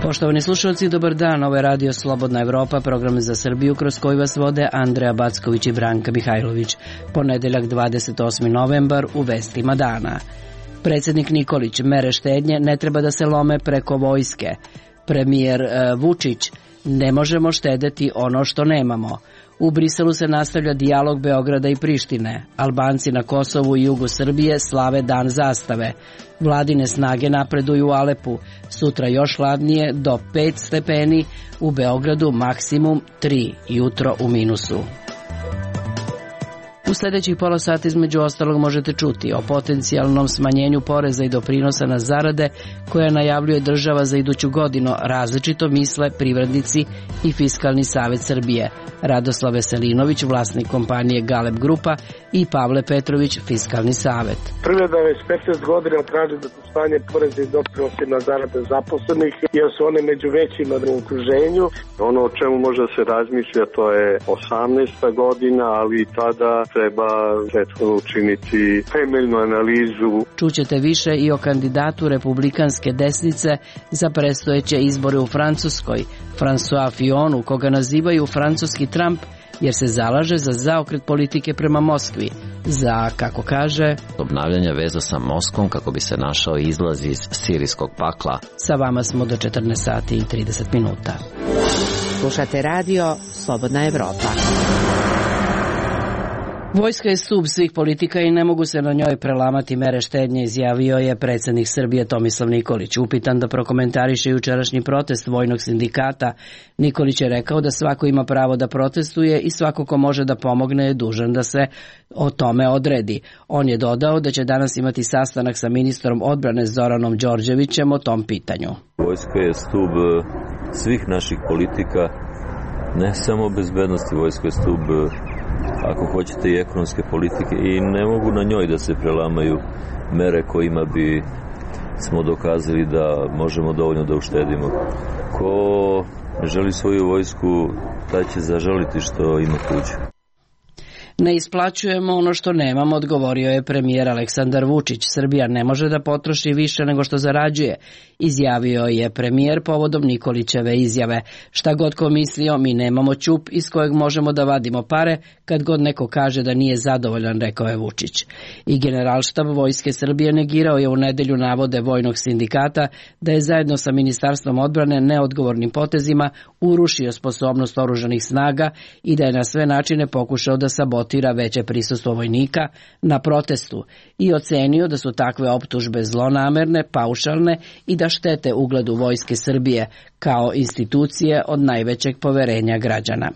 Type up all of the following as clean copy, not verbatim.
Poštovani slušalci, dobar dan. Ovo je Radio Slobodna Evropa, program za Srbiju kroz koji vas vode Andreja Backović i Branka Mihajlović. Ponedeljak 28. novembar u vestima dana. Predsjednik Nikolić, mere štednje ne treba da se lome preko vojske. Premijer Vučić, ne možemo štedeti ono što nemamo. U Briselu se nastavlja dijalog Beograda i Prištine. Albanci na Kosovu i jugu Srbije slave dan zastave. Vladine snage napreduju u Alepu. Sutra još hladnije do 5 stepeni, u Beogradu maksimum 3, jutro u minusu. U sljedećih pola sata između ostalog možete čuti o potencijalnom smanjenju poreza i doprinosa na zarade koja najavljuje država za iduću godinu, različito misle privrednici i Fiskalni savet Srbije. Radoslav Veselinović, vlasnik kompanije Galeb Grupa, i Pavle Petrović, Fiskalni savet. Privreda već 15 godina traži da se smanje poreze i doprinosi na zarade zaposlenih, jer su one među većima u okruženju. Ono o čemu može da se razmišlja, to je 18. godina, ali tada treba prethodno učiniti temeljnu analizu. Čućete više i o kandidatu republikanske desnice za predstojeće izbore u Francuskoj, François Fillonu, koga nazivaju francuski Trump, jer se zalaže za zaokret politike prema Moskvi, za, kako kaže, obnavljanje veza sa Moskvom kako bi se našao izlaz iz sirijskog pakla. Sa vama smo do 14 sati i 30 minuta. Slušate radio Slobodna Evropa. Vojska je stub svih politika i ne mogu se na njoj prelamati mere štednje, izjavio je predsjednik Srbije Tomislav Nikolić. Upitan da prokomentariše jučerašnji protest vojnog sindikata, Nikolić je rekao da svako ima pravo da protestuje i svako ko može da pomogne je dužan da se o tome odredi. On je dodao da će danas imati sastanak sa ministrom odbrane Zoranom Đorđevićem o tom pitanju. Vojska je stub svih naših politika, ne samo bezbednosti, vojska je stub, ako hoćete, i ekonomske politike, i ne mogu na njoj da se prelamaju mere kojima bi smo dokazali da možemo dovoljno da uštedimo. Ko ne želi svoju vojsku, taj će zažaliti što ima tuđu. Ne isplaćujemo ono što nemamo, odgovorio je premijer Aleksandar Vučić. Srbija ne može da potroši više nego što zarađuje, izjavio je premijer povodom Nikolićeve izjave. Šta god ko mislio, mi nemamo ćup iz kojeg možemo da vadimo pare kad god neko kaže da nije zadovoljan, rekao je Vučić. I Generalštab Vojske Srbije negirao je u nedelju navode vojnog sindikata da je zajedno sa Ministarstvom odbrane neodgovornim potezima urušio sposobnost oružanih snaga i da je na sve načine pokušao da sabotira veće prisustvo vojnika na protestu i ocenio da su takve optužbe zlonamerne, paušalne i da štete ugledu Vojske Srbije kao institucije od najvećeg poverenja građana.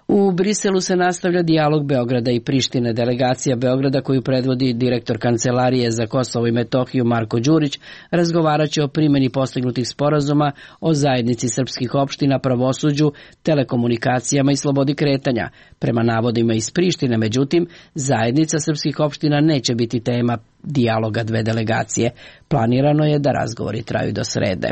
U Briselu se nastavlja dijalog Beograda i Prištine. Delegacija Beograda, koju predvodi direktor Kancelarije za Kosovo i Metohiju Marko Đurić, razgovaraće o primjeni postignutih sporazuma o zajednici srpskih opština, pravosuđu, telekomunikacijama i slobodi kretanja. Prema navodima iz Prištine, međutim, zajednica srpskih opština neće biti tema dijaloga dve delegacije. Planirano je da razgovori traju do srede.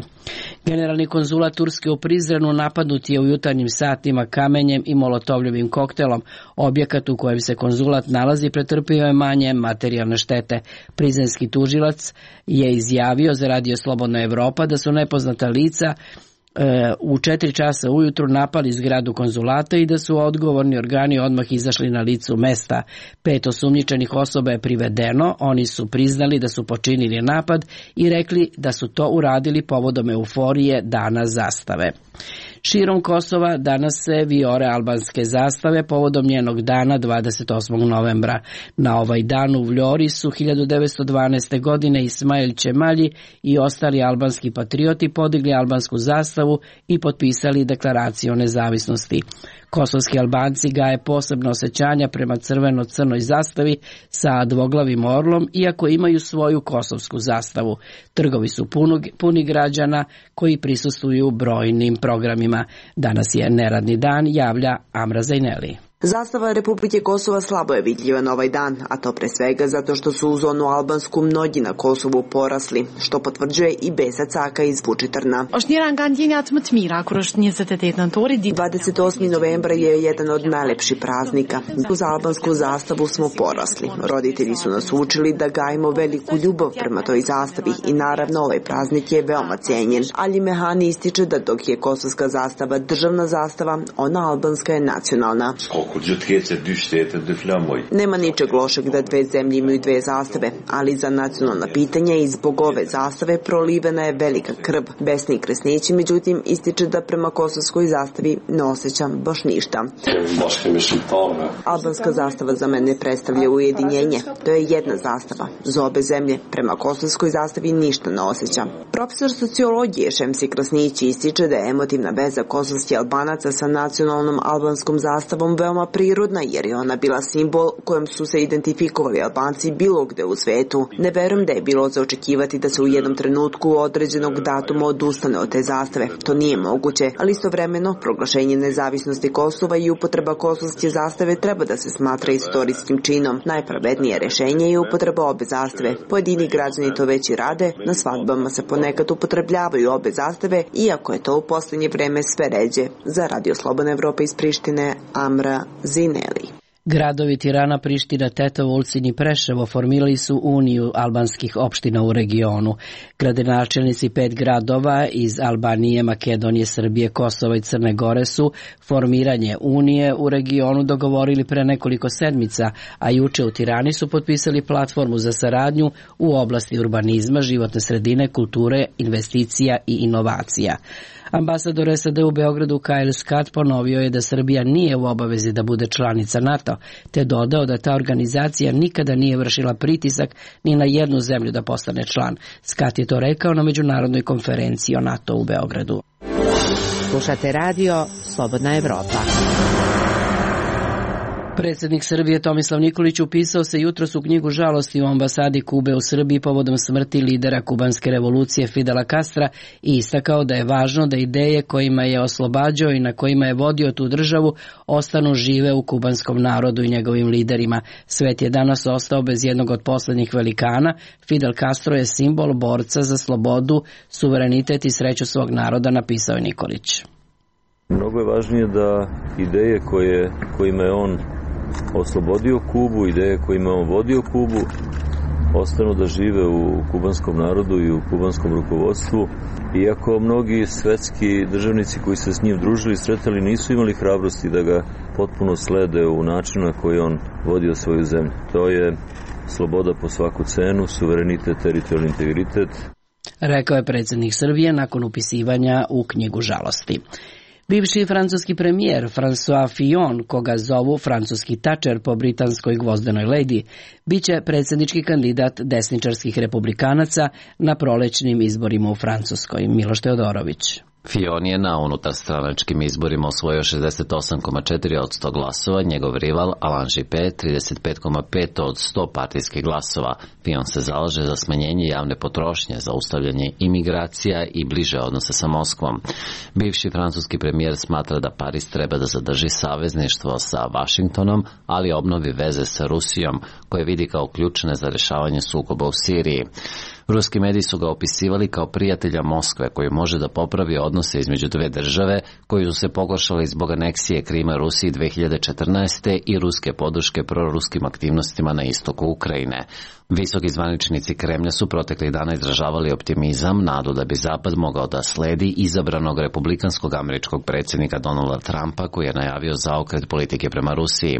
Generalni konzulat Turske u Prizrenu napadnut je u jutarnjim satima kamenjem i molotovljevim koktelom. Objekat u kojem se konzulat nalazi pretrpio je manje materijalne štete. Prizrenski tužilac je izjavio za Radio Slobodna Evropa da su nepoznata lica u 4 časa ujutru napali zgradu konzulata i da su odgovorni organi odmah izašli na licu mesta. 5 osumnjičenih osoba je privedeno, oni su priznali da su počinili napad i rekli da su to uradili povodom euforije dana zastave. Širom Kosova danas se vijore albanske zastave povodom njenog dana 28. novembra. Na ovaj dan u Vljori su 1912. godine Ismail Čemalji i ostali albanski patrioti podigli albansku zastavu i potpisali deklaraciju o nezavisnosti. Kosovski Albanci gaje posebno osjećanja prema crveno-crnoj zastavi sa dvoglavim orlom, iako imaju svoju kosovsku zastavu. Trgovi su puni građana koji prisustvuju brojnim programima. Danas je neradni dan, javlja Amra Zajneli. Zastava Republike Kosova slabo je vidljiva na ovaj dan, a to pre svega zato što su u zonu albansku mnogi na Kosovu porasli, što potvrđuje i Besa Caka iz Vučitrna. 28. novembra je jedan od najlepših praznika. Uz albansku zastavu smo porasli. Roditelji su nas učili da gajimo veliku ljubav prema toj zastavi i naravno ovaj praznik je veoma cijenjen. Ali Mehani ističe da dok je kosovska zastava državna zastava, ona albanska je nacionalna. Nema ničeg lošeg da dve zemlje imaju dve zastave, ali za nacionalna pitanja i zbog ove zastave prolivena je velika krv. Besni Kresnići, međutim, ističe da prema kosovskoj zastavi ne osjećam baš ništa. Albanska zastava za mene predstavlja ujedinjenje. To je jedna zastava. Za obe zemlje prema kosovskoj zastavi ništa ne osjećam. Profesor sociologije Šemsi Krasnići ističe da je emotivna veza kosovskih Albanaca sa nacionalnom albanskom zastavom veoma prirodna, jer je ona bila simbol kojem su se identifikovali Albanci bilo gde u svetu. Ne verujem da je bilo za očekivati da se u jednom trenutku određenog datuma odustane od te zastave. To nije moguće, ali istovremeno proglašenje nezavisnosti Kosova i upotreba kosovske zastave treba da se smatra istorijskim činom. Najpravednije rešenje je upotreba obe zastave. Pojedini građani to već i rade, na svadbama se ponekad upotrebljavaju obe zastave, iako je to u poslednje vreme sve ređe. Za Radio Slobodna Evropa iz Prištine, Amra Zineli. Gradovi Tirana, Priština, Tetovo, Ulcinj i Preševo formirali su Uniju albanskih opština u regionu. Gradonačelnici 5 gradova iz Albanije, Makedonije, Srbije, Kosova i Crne Gore su formiranje Unije u regionu dogovorili pre nekoliko sedmica, a juče u Tirani su potpisali platformu za saradnju u oblasti urbanizma, životne sredine, kulture, investicija i inovacija. Ambasador SAD u Beogradu Kyle Scott ponovio je da Srbija nije u obavezi da bude članica NATO, te dodao da ta organizacija nikada nije vršila pritisak ni na jednu zemlju da postane član. Scott je to rekao na međunarodnoj konferenciji o NATO u Beogradu. Slušate radio Slobodna Evropa. Predsjednik Srbije Tomislav Nikolić upisao se jutros u knjigu žalosti u ambasadi Kube u Srbiji povodom smrti lidera kubanske revolucije Fidela Castra i istakao da je važno da ideje kojima je oslobađao i na kojima je vodio tu državu ostanu žive u kubanskom narodu i njegovim liderima. Svet je danas ostao bez jednog od poslednjih velikana. Fidel Castro je simbol borca za slobodu, suverenitet i sreću svog naroda, napisao je Nikolić. Mnogo je važnije da ideje kojima je on oslobodio Kubu, ideje kojima on vodio Kubu, ostanu da žive u kubanskom narodu i u kubanskom rukovodstvu. Iako mnogi svetski državnici koji se s njim družili i sretali nisu imali hrabrosti da ga potpuno slede u načinu na koji on vodio svoju zemlju. To je sloboda po svaku cenu, suverenitet, teritorijalni integritet. Rekao je predsjednik Srbije nakon upisivanja u knjigu žalosti. Bivši francuski premijer François Fillon, koga zovu francuski Thatcher po britanskoj gvozdenoj ledi, biće predsjednički kandidat desničarskih republikanaca na prolećnim izborima u Francuskoj. Miloš Teodorović. Fillon je na unutarstranačkim izborima osvojio 68,4% glasova, njegov rival Alain Juppé 35,5% od 100 partijskih glasova. Fillon se zalaže za smanjenje javne potrošnje, zaustavljanje imigracija i bliže odnose sa Moskvom. Bivši francuski premijer smatra da Pariz treba da zadrži savezništvo sa Vašingtonom, ali obnovi veze sa Rusijom, koje vidi kao ključne za rešavanje sukoba u Siriji. Ruski mediji su ga opisivali kao prijatelja Moskve koji može da popravi odnose između dve države koji su se pogoršali zbog aneksije Krima Rusiji 2014. i ruske podrške proruskim aktivnostima na istoku Ukrajine. Visoki zvaničnici Kremlja su proteklih dana izražavali optimizam, nadu da bi Zapad mogao da sledi izabranog republikanskog američkog predsjednika Donalda Trumpa koji je najavio zaokret politike prema Rusiji.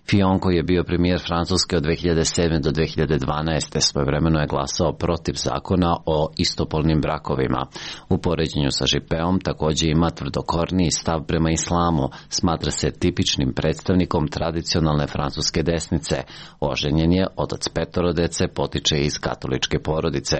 Fillon, koji je bio premijer Francuske od 2007. do 2012. svojevremeno je glasao protiv zakona o istopolnim brakovima. U poređenju sa Juppéom također ima tvrdokorniji stav prema islamu, smatra se tipičnim predstavnikom tradicionalne francuske desnice. Oženjen je, otac petoro dece, potiče iz katoličke porodice.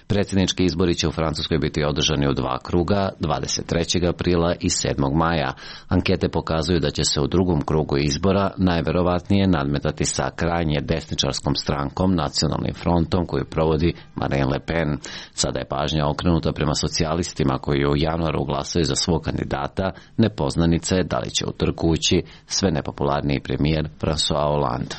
Predsjednički izbori će u Francuskoj biti održani u 2 kruga, 23. aprila i 7. maja. Ankete pokazuju da će se u drugom krugu izbora najverovatnije nadmetati sa krajnje desničarskom strankom, Nacionalnim frontom, koju provodi Marine Marine Le Pen. Sada je pažnja okrenuta prema socijalistima koji u januaru glasaju za svog kandidata, nepoznanica je da li će u trku ući sve nepopularniji premijer François Hollande.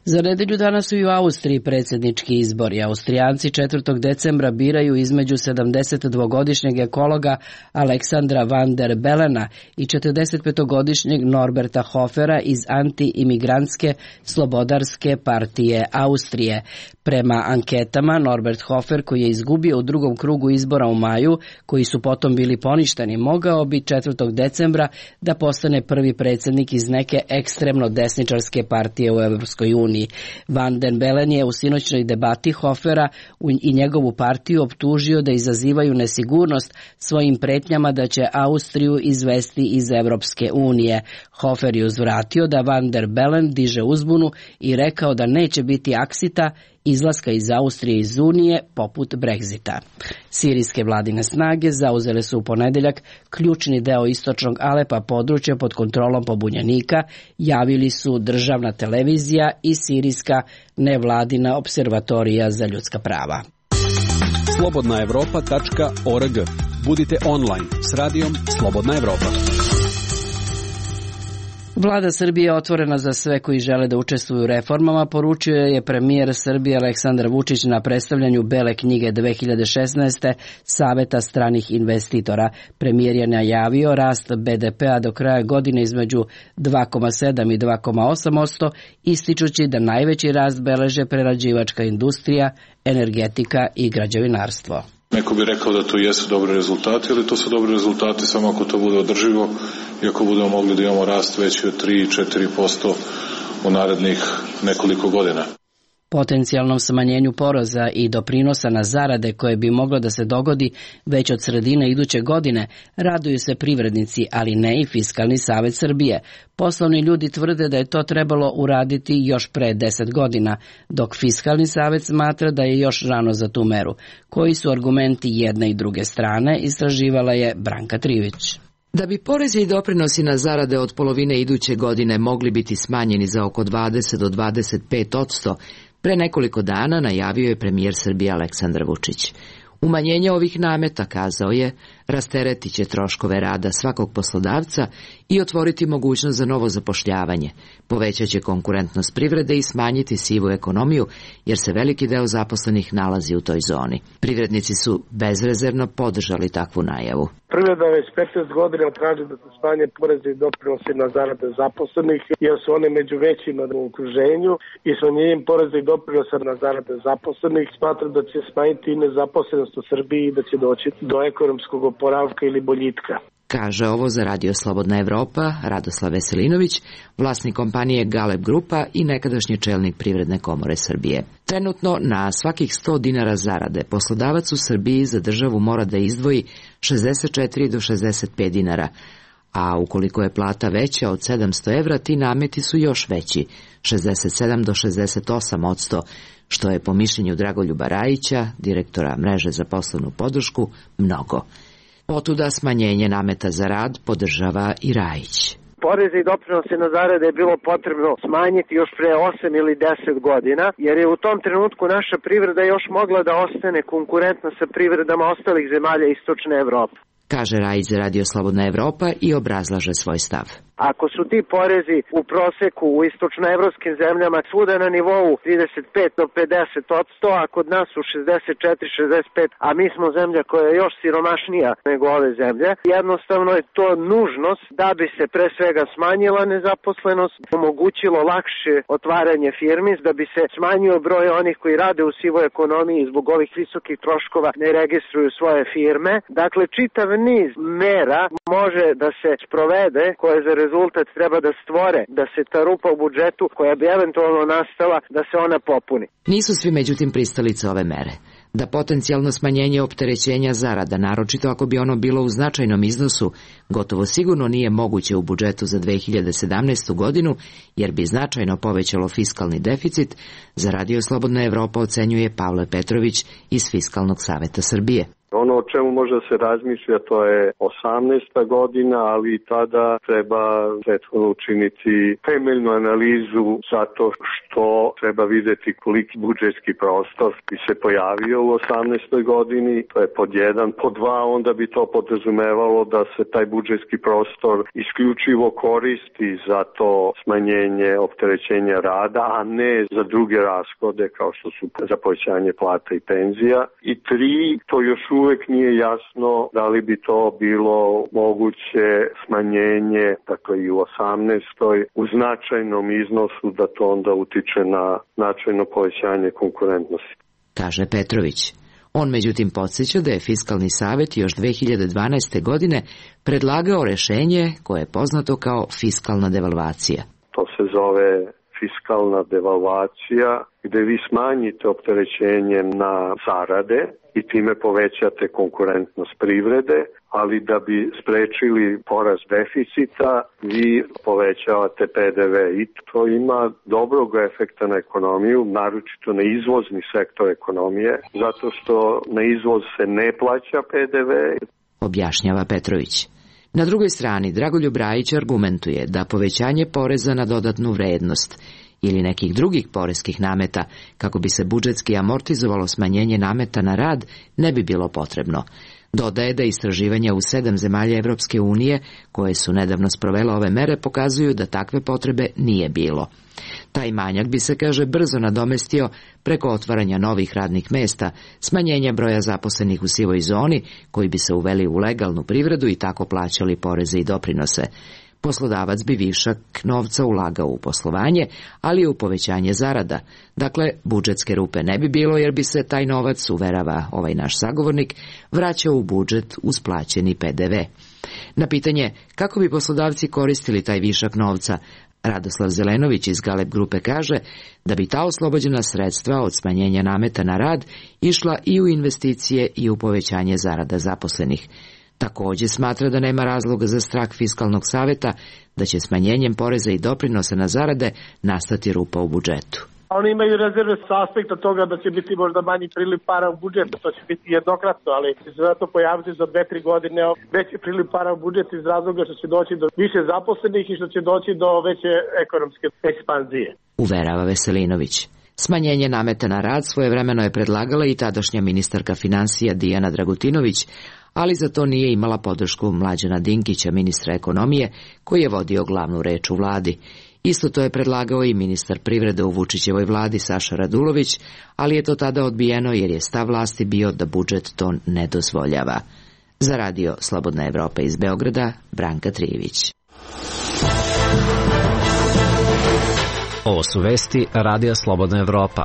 Za nedelju dana su i u Austriji predsjednički izbori. Austrijanci 4. decembra biraju između 72-godišnjeg ekologa Aleksandra van der Belena i 45-godišnjeg Norberta Hofera iz anti-imigrantske slobodarske partije Austrije. Prema anketama, Norbert Hofer, koji je izgubio u drugom krugu izbora u maju, koji su potom bili poništeni, mogao bi 4. decembra da postane prvi predsjednik iz neke ekstremno desničarske partije u Evropskoj uniji. Van den Bellen je u sinoćnoj debati Hofera i njegovu partiju optužio da izazivaju nesigurnost svojim pretnjama da će Austriju izvesti iz Evropske unije. Hofer je uzvratio da Van der Bellen diže uzbunu i rekao da neće biti aksita izlaska iz Austrije iz Unije poput Brexita. Sirijske vladine snage zauzele su u ponedeljak ključni deo istočnog Alepa, područja pod kontrolom pobunjenika, javili su državna televizija i sirijska nevladina observatorija za ljudska prava. slobodnaevropa.org. Budite online s radijom Slobodna Evropa. Vlada Srbije je otvorena za sve koji žele da učestvuju u reformama, poručio je premijer Srbije Aleksandar Vučić na predstavljanju Bele knjige 2016. Saveta stranih investitora. Premijer je najavio rast BDP-a do kraja godine između 2,7 i 2,8%, ističući da najveći rast beleže prerađivačka industrija, energetika i građevinarstvo. Neko bi rekao da to jesu dobri rezultati, ali to su dobri rezultati samo ako to bude održivo i ako budemo mogli da imamo rast veći od 3-4% u narednih nekoliko godina. Potencijalnom smanjenju poreza i doprinosa na zarade koje bi moglo da se dogodi već od sredine iduće godine raduju se privrednici, ali ne i Fiskalni savet Srbije. Poslovni ljudi tvrde da je to trebalo uraditi još pre 10 godina, dok Fiskalni savet smatra da je još rano za tu meru. Koji su argumenti jedne i druge strane, istraživala je Branka Trivić. Da bi porezi i doprinosi na zarade od polovine iduće godine mogli biti smanjeni za oko 20 do 25%, pre nekoliko dana najavio je premijer Srbije Aleksandar Vučić. Umanjenje ovih nameta, kazao je, rasteretit će troškove rada svakog poslodavca i otvoriti mogućnost za novo zapošljavanje, povećat će konkurentnost privrede i smanjiti sivu ekonomiju, jer se veliki deo zaposlenih nalazi u toj zoni. Privrednici su bezrezervno podržali takvu najavu. Privreda već 15 godina traži da se smanje porezi i doprinosi na zarade zaposlenih, jer su one među većima u okruženju i smanjenjem poreza i doprinosa na zarade zaposlenih smatra da će smanjiti i nezaposlenost u Srbiji i da će doći do ekonomskog oporavka ili boljitka. Kaže ovo za Radio Slobodna Evropa Radoslav Veselinović, vlasnik kompanije Galeb Grupa i nekadašnji čelnik Privredne komore Srbije. Trenutno na svakih 100 dinara zarade poslodavac u Srbiji za državu mora da izdvoji 64 do 65 dinara, a ukoliko je plata veća od 700 evra, ti nameti su još veći, 67 do 68%, što je po mišljenju Dragoljuba Rajića, direktora mreže za poslovnu podršku, mnogo. Otuda smanjenje nameta za rad podržava i Rajić. Poreze i doprinose na zarade je bilo potrebno smanjiti još pre 8 ili 10 godina, jer je u tom trenutku naša privreda još mogla da ostane konkurentna sa privredama ostalih zemalja Istočne Evrope. Kaže Rajić za Radio Slobodna Evropa i obrazlaže svoj stav. Ako su ti porezi u proseku u istočnoevropskim zemljama svuda na nivou 35 do 50%, a kod nas su 64-65%, a mi smo zemlja koja je još siromašnija nego ove zemlje, jednostavno je to nužnost da bi se pre svega smanjila nezaposlenost, omogućilo lakše otvaranje firmi, da bi se smanjio broj onih koji rade u sivoj ekonomiji zbog ovih visokih troškova ne registruju svoje firme. Dakle, čitav niz mera može da se sprovede koje za rezultat treba da stvore, da se ta rupa u budžetu koja bi eventualno nastala, da se ona popuni. Nisu svi međutim pristalice ove mere. Da potencijalno smanjenje opterećenja zarada, naročito ako bi ono bilo u značajnom iznosu, gotovo sigurno nije moguće u budžetu za 2017. godinu, jer bi značajno povećalo fiskalni deficit, za Radio Slobodna Evropa ocenjuje Pavle Petrović iz Fiskalnog saveta Srbije. Ono o čemu može se razmišlja to je 18. godina, ali i tada treba prethodno učiniti temeljnu analizu zato što treba vidjeti koliki budžetski prostor bi se pojavio u 18. godini. To je pod 1, pod 2, onda bi to podrazumevalo da se taj budžetski prostor isključivo koristi za to smanjenje opterećenja rada, a ne za druge rashode kao što su za povećanje plata i penzija. I 3, to još uvek nije jasno da li bi to bilo moguće smanjenje, dakle i u 18. u značajnom iznosu, da to onda utiče na značajno povećanje konkurentnosti. Kaže Petrović. On međutim podsjeća da je Fiskalni savet još 2012. godine predlagao rešenje koje je poznato kao fiskalna devalvacija. To se zove fiskalna devalvacija, gde vi smanjite opterećenje na zarade i time povećate konkurentnost privrede, ali da bi sprečili porast deficita, vi povećavate PDV i to ima dobrog efekta na ekonomiju, naročito na izvozni sektor ekonomije, zato što na izvoz se ne plaća PDV. Objašnjava Petrović. Na drugoj strani, Dragoljub Rajić argumentuje da povećanje poreza na dodatnu vrednost ili nekih drugih poreskih nameta, kako bi se budžetski amortizovalo smanjenje nameta na rad, ne bi bilo potrebno. Dodaje da istraživanja u 7 zemalja Evropske unije, koje su nedavno sprovele ove mere, pokazuju da takve potrebe nije bilo. Taj manjak bi se, kaže, brzo nadomestio preko otvaranja novih radnih mesta, smanjenja broja zaposlenih u sivoj zoni, koji bi se uveli u legalnu privredu i tako plaćali poreze i doprinose. Poslodavac bi višak novca ulagao u poslovanje, ali i u povećanje zarada. Dakle, budžetske rupe ne bi bilo jer bi se taj novac, uverava ovaj naš sagovornik, vraćao u budžet uz plaćeni PDV. Na pitanje kako bi poslodavci koristili taj višak novca, Radoslav Zelenović iz Galeb grupe kaže da bi ta oslobođena sredstva od smanjenja nameta na rad išla i u investicije i u povećanje zarada zaposlenih. Također smatra da nema razloga za strah Fiskalnog saveta da će smanjenjem poreza i doprinosa na zarade nastati rupa u budžetu. Oni imaju rezerve sa aspekta toga da će biti možda manji priliv para u budžet, to će biti jednokratno, ali će se zato pojaviti za 2-3 godine veći priliv para u budžet iz razloga što će doći do više zaposlenih i što će doći do veće ekonomske ekspanzije. Uverava Veselinović. Smanjenje nameta na rad svojevremeno je predlagala i tadašnja ministarka finansija Dijana Dragutinović, ali za to nije imala podršku Mlađana Dinkića, ministra ekonomije, koji je vodio glavnu reč u vladi. Isto to je predlagao i ministar privrede u Vučićevoj vladi Saša Radulović, ali je to tada odbijeno jer je stav vlasti bio da budžet to ne dozvoljava. Za radio Slobodna Evropa iz Beograda, Branka Trijević. Ovo su vesti Radija Slobodna Evropa.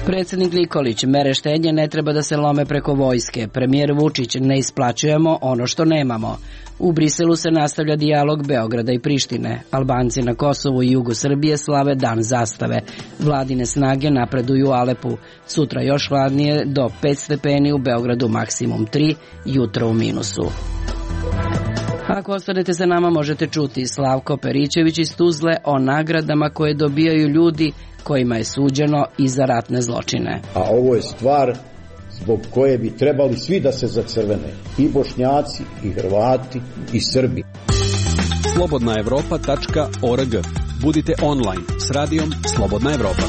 Predsjednik Nikolić, mere štednje ne treba da se lome preko vojske. Premijer Vučić, ne isplaćujemo ono što nemamo. U Briselu se nastavlja dijalog Beograda i Prištine. Albanci na Kosovu i jugu Srbije slave dan zastave. Vladine snage napreduju u Alepu. Sutra još hladnije, do 5 stepeni, u Beogradu maksimum 3, jutro u minusu. Ako ostanete sa nama, možete čuti Slavko Perićević iz Tuzle o nagradama koje dobijaju ljudi kojima je suđeno i za ratne zločine. A ovo je stvar zbog koje bi trebali svi da se zacrvene. I Bošnjaci, i Hrvati, i Srbi. slobodnaevropa.org. Budite online s radijom Slobodna Evropa.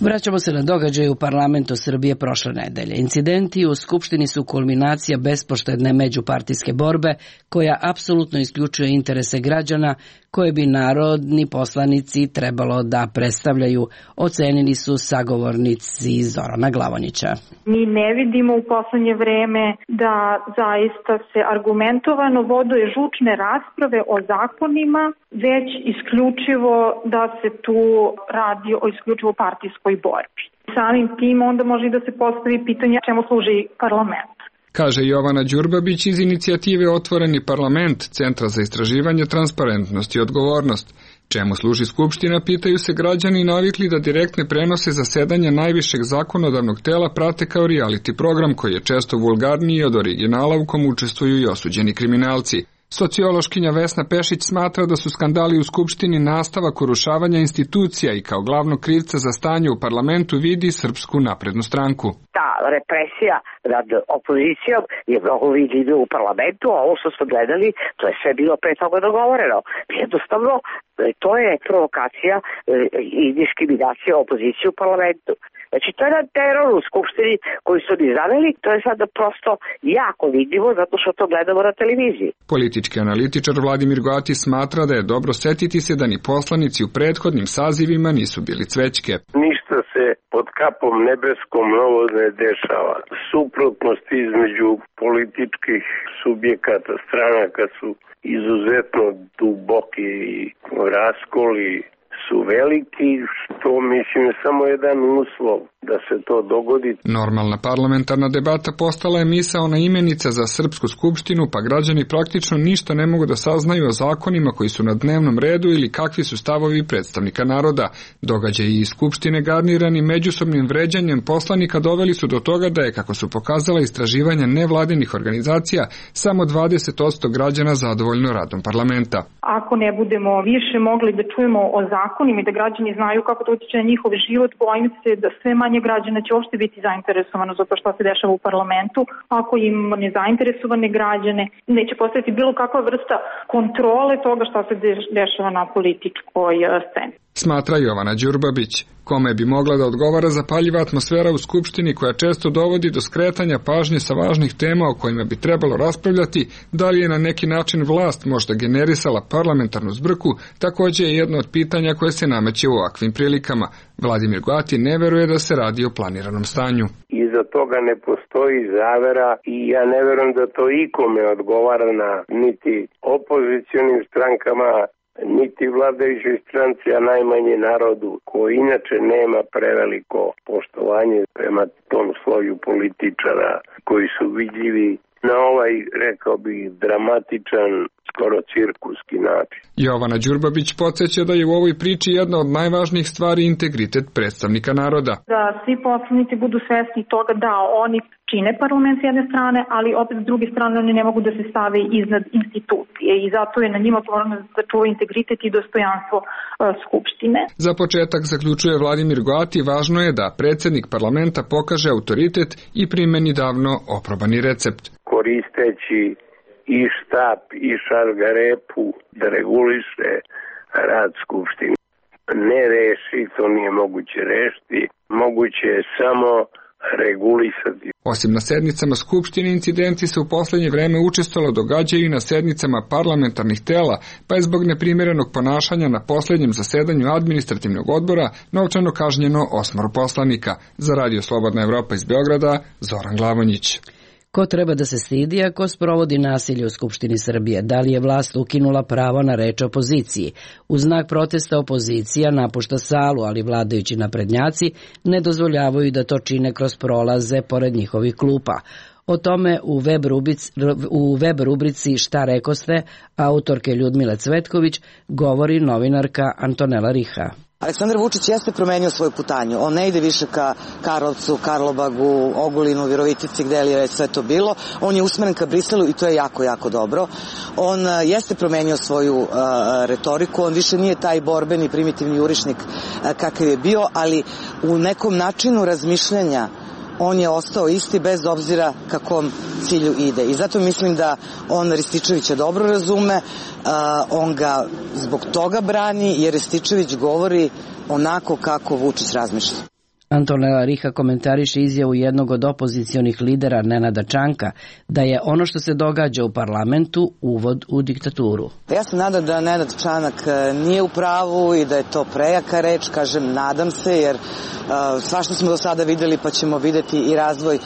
Vraćamo se na događaj u parlamentu Srbije prošle nedelje. Incidenti u Skupštini su kulminacija bespoštedne međupartijske borbe koja apsolutno isključuje interese građana koje bi narodni poslanici trebalo da predstavljaju, ocenili su sagovornici Zorana Glavonića. Mi ne vidimo u poslednje vreme da zaista se argumentovano vode žučne rasprave o zakonima, već isključivo da se tu radi o isključivo partijskoj borbi. Samim tim onda može da se postavi pitanje čemu služi parlament. Kaže Jovana Đurbabić iz inicijative Otvoreni parlament, Centra za istraživanje, transparentnost i odgovornost. Čemu služi Skupština, pitaju se građani navikli da direktne prenose zasedanja najvišeg zakonodavnog tela prate kao reality program koji je često vulgarniji od originala u kom učestvuju i osuđeni kriminalci. Sociološkinja Vesna Pešić smatra da su skandali u Skupštini nastavak urušavanja institucija i kao glavnog krivca za stanje u parlamentu vidi Srpsku naprednu stranku. Ta represija nad opozicijom je mnogo vidljiva u parlamentu, a ovo što smo gledali, to je sve bilo pre toga dogovoreno. Jednostavno, to je provokacija i diskriminacija opozicije u parlamentu. Znači, to je jedan teror u Skupštini koji su oni zaveli, to je sada prosto jako vidljivo zato što to gledamo na televiziji. Politički analitičar Vladimir Goati smatra da je dobro setiti se da ni poslanici u prethodnim sazivima nisu bili cvećke. Ništa se pod kapom nebeskom novo ne dešava. Suprotnosti između političkih subjekata, stranaka su izuzetno duboki i raskoli su veliki, što mislim je samo jedan uslov da se to dogodi. Normalna parlamentarna debata postala je misaona imenica za Srpsku skupštinu, pa građani praktično ništa ne mogu da saznaju o zakonima koji su na dnevnom redu ili kakvi su stavovi predstavnika naroda. Događaji iz Skupštine garnirani međusobnim vređanjem poslanika doveli su do toga da je, kako su pokazala istraživanja nevladinih organizacija, samo 20% građana zadovoljno radom parlamenta. Ako ne budemo više mogli da čujemo o zakonima i da građani znaju kako to utiče na njihov život, bojim se da sve manje građana će uopšte biti zainteresovano za to što se dešava u parlamentu. Ako im nezainteresovane građane, neće postaviti bilo kakva vrsta kontrole toga što se dešava na političkoj sceni. Smatra Jovana Đurbabić, kome bi mogla da odgovara zapaljiva atmosfera u Skupštini koja često dovodi do skretanja pažnje sa važnih tema o kojima bi trebalo raspravljati, da li je na neki način vlast možda generisala parlamentarnu zbrku, takođe je jedno od pitanja koje se nameće u ovakvim prilikama. Vladimir Goati ne veruje da se radi o planiranom stanju. Iza toga ne postoji zavera i ja ne verujem da to ikome odgovara na niti opozicionim strankama, niti vladajućoj stranci, a najmanje narodu, koji inače nema preveliko poštovanje prema tom sloju političara koji su vidljivi na ovaj, rekao bih, dramatičan, skoro cirkuski način. Jovana Đurbabić podsjeća da je u ovoj priči jedna od najvažnijih stvari integritet predstavnika naroda. Da svi poslanici budu svesni toga da oni čine parlament s jedne strane, ali opet s druge strane oni ne mogu da se stave iznad institucije i zato je na njima odgovornost da čuva integritet i dostojanstvo Skupštine. Za početak, zaključuje Vladimir Goati, važno je da predsednik parlamenta pokaže autoritet i primeni davno oprobani recept. Koristeći i štap i šargarepu da reguliše rad Skupštine. Ne reši, to nije moguće rešiti, moguće je samo regulisati. Osim na sednicama Skupštine, incidenti se u poslednje vreme učestalo događaju i na sednicama parlamentarnih tela, pa je zbog neprimjerenog ponašanja na poslednjem zasedanju administrativnog odbora novčano kažnjeno 8 poslanika. Za Radio Slobodna Evropa iz Beograda, Zoran Glavonjić. Ko treba da se stidi ako sprovodi nasilje u Skupštini Srbije? Da li je vlast ukinula pravo na reč opoziciji? U znak protesta opozicija napušta salu, ali vladajući naprednjaci ne dozvoljavaju da to čine kroz prolaze pored njihovih klupa. O tome u web rubrici Šta rekoste autorke Ljudmile Cvetković govori novinarka Antonela Riha. Aleksandar Vučić jeste promenio svoju putanju. On ne ide više ka Karlovcu, Karlobagu, Ogulinu, Virovitici, gde li je sve to bilo. On je usmeren ka Briselu i to je jako, jako dobro. On jeste promenio svoju retoriku. On više nije taj borbeni, primitivni jurišnik kakav je bio, ali u nekom načinu razmišljanja on je ostao isti bez obzira kakom cilju ide. I zato mislim da on Rističevića dobro razume, on ga zbog toga brani, jer Rističević govori onako kako Vučić razmišlja. Antonela Riha komentariše izjavu jednog od opozicionih lidera Nenada Čanka da je ono što se događa u parlamentu uvod u diktaturu. Ja se nadam da Nenad Čanak nije u pravu i da je to prejaka reč, kažem nadam se, jer svašta smo do sada videli pa ćemo videti i razvoj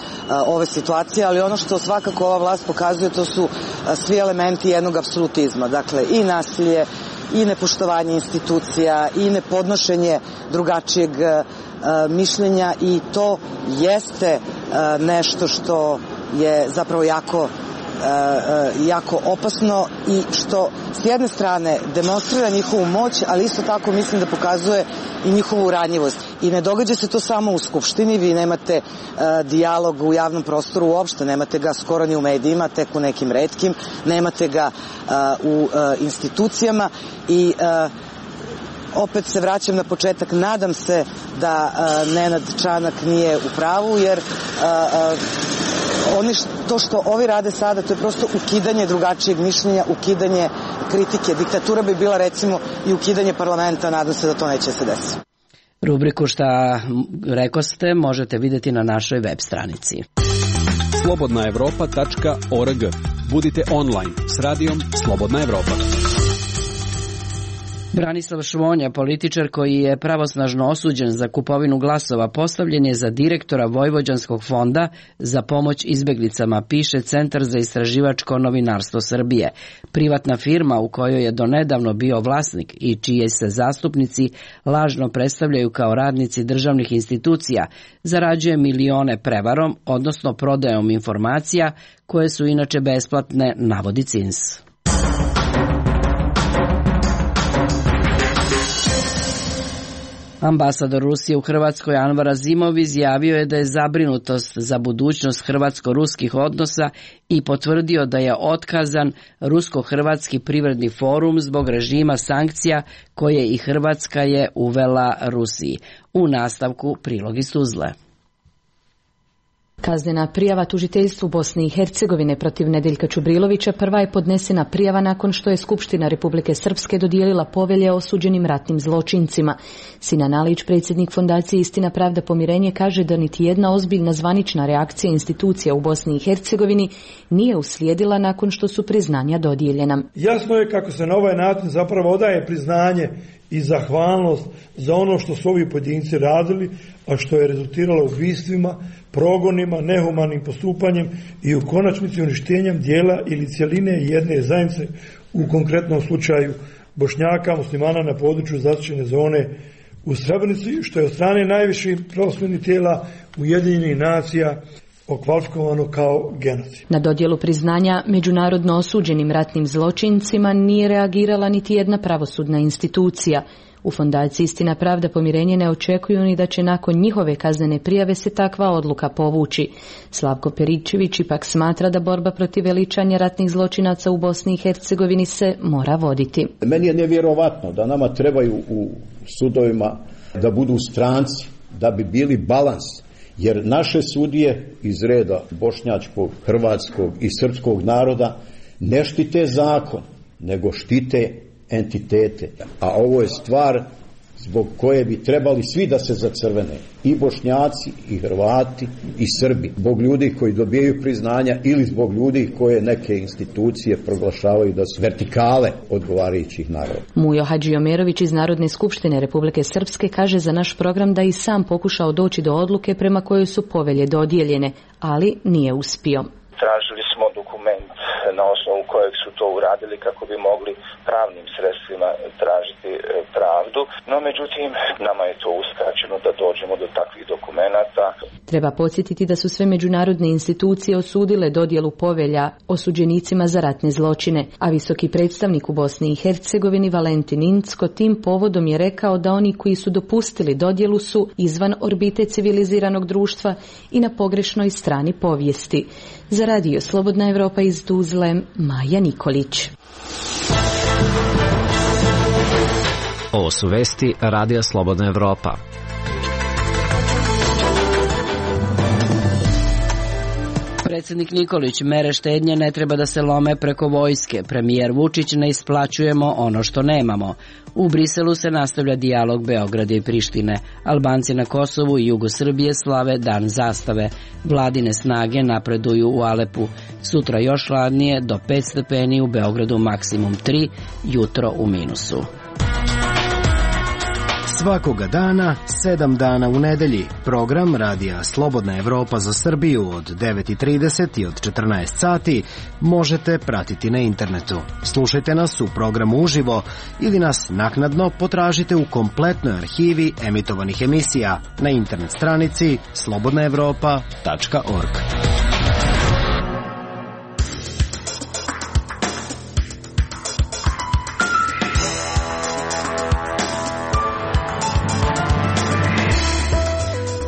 ove situacije, ali ono što svakako ova vlast pokazuje to su svi elementi jednog apsolutizma, dakle i nasilje, i nepoštovanje institucija, i nepodnošenje drugačijeg mišljenja i to jeste nešto što je zapravo jako jako opasno i što s jedne strane demonstrira njihovu moć, ali isto tako mislim da pokazuje i njihovu ranjivost. I ne događa se to samo u Skupštini, vi nemate dijalog u javnom prostoru uopšte, nemate ga skoro ni u medijima, tek u nekim retkim, nemate ga u institucijama i opet se vraćam na početak, nadam se da Nenad Čanak nije u pravu, jer to što ovi rade sada, to je prosto ukidanje drugačijeg mišljenja, ukidanje kritike. Diktatura bi bila recimo i ukidanje parlamenta, nadam se da to neće se desiti. Rubriku Šta rekoste možete vidjeti na našoj web stranici. slobodnaevropa.org. Budite online s radijom Slobodna Evropa. Branislav Švonja, političar koji je pravosnažno osuđen za kupovinu glasova, postavljen je za direktora Vojvođanskog fonda za pomoć izbeglicama, piše Centar za istraživačko novinarstvo Srbije. Privatna firma u kojoj je donedavno bio vlasnik i čiji se zastupnici lažno predstavljaju kao radnici državnih institucija, zarađuje milione prevarom, odnosno prodajom informacija koje su inače besplatne, navodi CINS. Ambasador Rusije u Hrvatskoj Anvar Azimov izjavio je da je zabrinutost za budućnost hrvatsko-ruskih odnosa i potvrdio da je otkazan Rusko-hrvatski privredni forum zbog režima sankcija koje i Hrvatska je uvela Rusiji. U nastavku prilog iz Tuzle. Kaznena prijava tužiteljstvu Bosne i Hercegovine protiv Nedeljka Čubrilovića prva je podnesena prijava nakon što je Skupština Republike Srpske dodijelila povelje osuđenim ratnim zločincima. Sinan Alić, predsjednik Fondacije Istina, pravda, pomirenje, kaže da niti jedna ozbiljna zvanična reakcija institucija u Bosni i Hercegovini nije uslijedila nakon što su priznanja dodijeljena. Jasno je kako se na ovaj način zapravo odaje priznanje i zahvalnost za ono što su ovi pojedinci radili, a što je rezultiralo ubistvima, progonima, nehumanim postupanjem i u konačnici uništenjem dijela ili cjeline jedne zajednice, u konkretnom slučaju Bošnjaka, muslimana na području zaštićene zone u Srebrenici, što je od strane najviših pravosudnih tijela Ujedinjenih nacija okvalifikovano kao genocid. Na dodjelu priznanja međunarodno osuđenim ratnim zločincima nije reagirala niti jedna pravosudna institucija. U Fondaciji Istina, pravda, pomirenje ne očekuju ni da će nakon njihove kaznene prijave se takva odluka povući. Slavko Peričević ipak smatra da borba protiv veličanja ratnih zločinaca u Bosni i Hercegovini se mora voditi. Meni je nevjerovatno da nama trebaju u sudovima da budu stranci, da bi bili balans. Jer naše sudije iz reda bošnjačkog, hrvatskog i srpskog naroda ne štite zakon, nego štite entitete. A ovo je stvar zbog koje bi trebali svi da se zacrvene. I Bošnjaci, i Hrvati, i Srbi. Zbog ljudi koji dobijaju priznanja ili zbog ljudi koje neke institucije proglašavaju da su vertikale odgovarajućih naroda. Mujo Hadžiomerović iz Narodne skupštine Republike Srpske kaže za naš program da i sam pokušao doći do odluke prema kojoj su povelje dodijeljene, ali nije uspio. Tražili smo dokument na osnovu kojeg su to uradili kako bi mogli pravnim sredstvima tražiti pravdu, no međutim nama je to uskraćeno da dođemo do takvih dokumenata. Treba podsjetiti da su sve međunarodne institucije osudile dodjelu povelja osuđenicima za ratne zločine, a visoki predstavnik u Bosni i Hercegovini Valentin Incko tim povodom je rekao da oni koji su dopustili dodjelu su izvan orbite civiliziranog društva i na pogrešnoj strani povijesti. Za radio Slobodna Evropa iz Tuzle, Maja Nikolić. Ovo su vesti Radija Slobodna Evropa. Predsjednik Nikolić, mere štednje ne treba da se lome preko vojske. Premijer Vučić, ne isplaćujemo ono što nemamo. U Briselu se nastavlja dijalog Beograda i Prištine. Albanci na Kosovu i jugu Srbije slave Dan zastave. Vladine snage napreduju u Alepu. Sutra još hladnije, do 5 stepeni, u Beogradu maksimum 3, jutro u minusu. Svakoga dana, 7 dana u nedelji. Program Radija Slobodna Evropa za Srbiju od 9:30 i od 14 sati možete pratiti na internetu. Slušajte nas u programu uživo ili nas naknadno potražite u kompletnoj arhivi emitovanih emisija na internet stranici slobodnaevropa.org.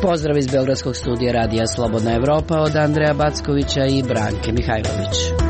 Pozdrav iz Beogradskog studija Radija Slobodna Evropa od Andreja Backovića i Branke Mihajlović.